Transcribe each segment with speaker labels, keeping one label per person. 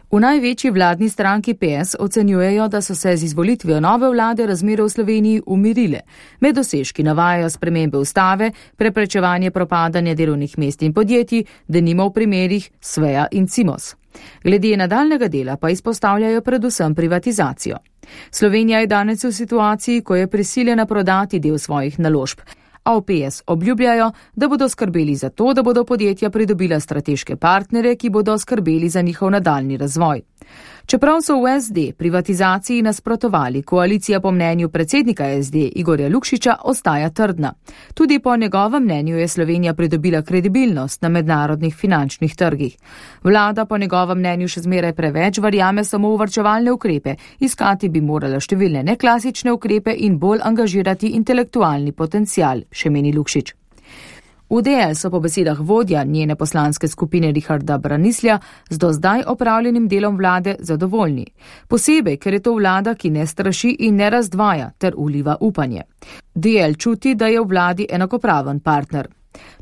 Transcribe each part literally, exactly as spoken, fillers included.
Speaker 1: V največji vladni stranki P S ocenjujejo, da so se z izvolitvijo nove vlade razmere v Sloveniji umirile. Med dosežki navajajo spremembe ustave, preprečevanje propadanja delovnih mest in podjetij, denimo v primerih Sveja in Cimos. Glede nadaljnega dela pa izpostavljajo predvsem privatizacijo. Slovenija je danes v situaciji, ko je prisiljena prodati del svojih naložb. A v P S obljubljajo, da bodo skrbeli za to, da bodo podjetja pridobila strateške partnere, ki bodo skrbeli za njihov nadaljni razvoj. Čeprav so v S D privatizaciji nasprotovali, koalicija po mnenju predsednika S D Igorja Lukšiča ostaja trdna. Tudi po njegovem mnenju je Slovenija pridobila kredibilnost na mednarodnih finančnih trgih. Vlada po njegovem mnenju še zmeraj preveč verjame samo v varčevalne ukrepe, iskati bi morala številne neklasične ukrepe in bolj angažirati intelektualni potencial, še meni Lukšič. V D L so po besedah vodja njene poslanske skupine Richarda Branislja z do zdaj opravljenim delom vlade zadovoljni. Posebej, ker je to vlada, ki ne straši in ne razdvaja ter uliva upanje. D L čuti, da je v vladi enakopraven partner.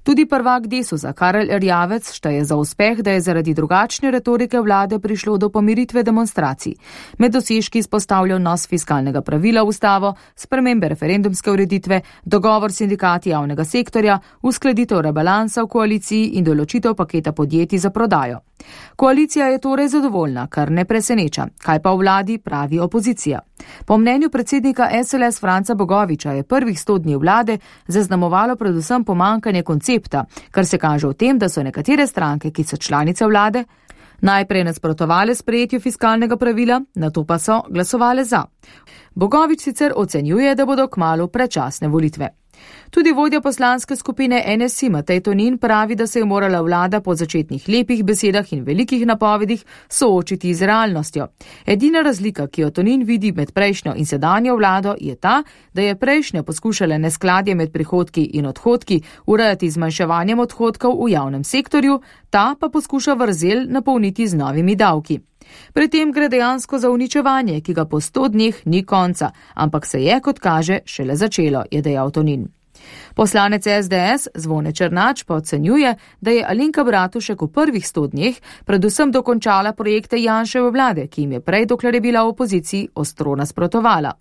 Speaker 1: Tudi prvak Desusa Karel Erjavec šteje za uspeh, da je zaradi drugačne retorike vlade prišlo do pomiritve demonstracij. Med dosežki izpostavlja vnos fiskalnega pravila v ustavo, spremembe referendumske ureditve, dogovor s sindikati javnega sektorja, uskladitev rebalansa v koaliciji in določitev paketa podjetij za prodajo. Koalicija je torej zadovoljna, kar ne preseneča. Kaj pa v vladi, pravi opozicija. Po mnenju predsednika S L S Franca Bogoviča je prvih sto dni vlade zaznamovalo predvsem pomanjkanje koncepta, kar se kaže v tem, da so nekatere stranke, ki so članice vlade, najprej nasprotovale sprejetju fiskalnega pravila, nato pa so glasovale za. Bogovič sicer ocenjuje, da bodo kmalu predčasne volitve. Tudi vodja poslanske skupine N S I Matej Tonin pravi, da se je morala vlada po začetnih lepih besedah in velikih napovedih soočiti z realnostjo. Edina razlika, ki jo Tonin vidi med prejšnjo in sedanjo vlado, je ta, da je prejšnja poskušala neskladje med prihodki in odhodki urejati z zmanjševanjem odhodkov v javnem sektorju, ta pa poskuša vrzel napolniti z novimi davki. Pri tem gre dejansko za uničevanje, ki ga po sto dneh ni konca, ampak se je, kot kaže, šele začelo, je dejal Tonin. Poslanec S D S Zvone Černač pa ocenjuje, da je Alenka Bratušek v prvih sto dneh predvsem dokončala projekte Janševe vlade, ki jim je prej, dokler je bila v opoziciji, ostro nasprotovala.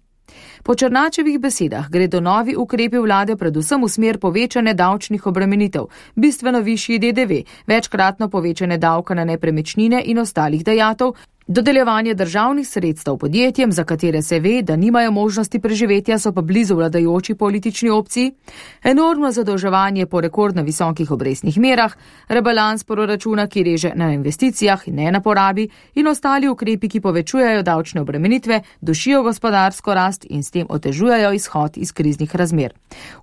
Speaker 1: Po Černačevih besedah gredo novi ukrepi vlade predvsem v smer povečane davčnih obremenitev, bistveno višji D D V, večkratno povečane davka na nepremičnine in ostalih dajatev, dodeljevanje državnih sredstev podjetjem, za katere se ve, da nimajo možnosti preživetja, so pa blizu vladajoči politični opciji, enormno zadolževanje po rekordno visokih obrestnih merah, rebalans proračuna, ki reže na investicijah in ne na porabi, in ostali ukrepi, ki povečujejo davčne obremenitve, dušijo gospodarsko rast in s tem otežujejo izhod iz kriznih razmer.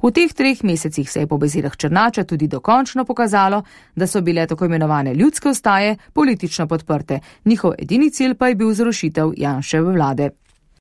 Speaker 1: V teh treh mesecih se je po besedah Černača tudi dokončno pokazalo, da so bile tako imenovane ljudske vstaje politično podprte. Njihov edini cilj pa je bil zrušitev Janševe vlade.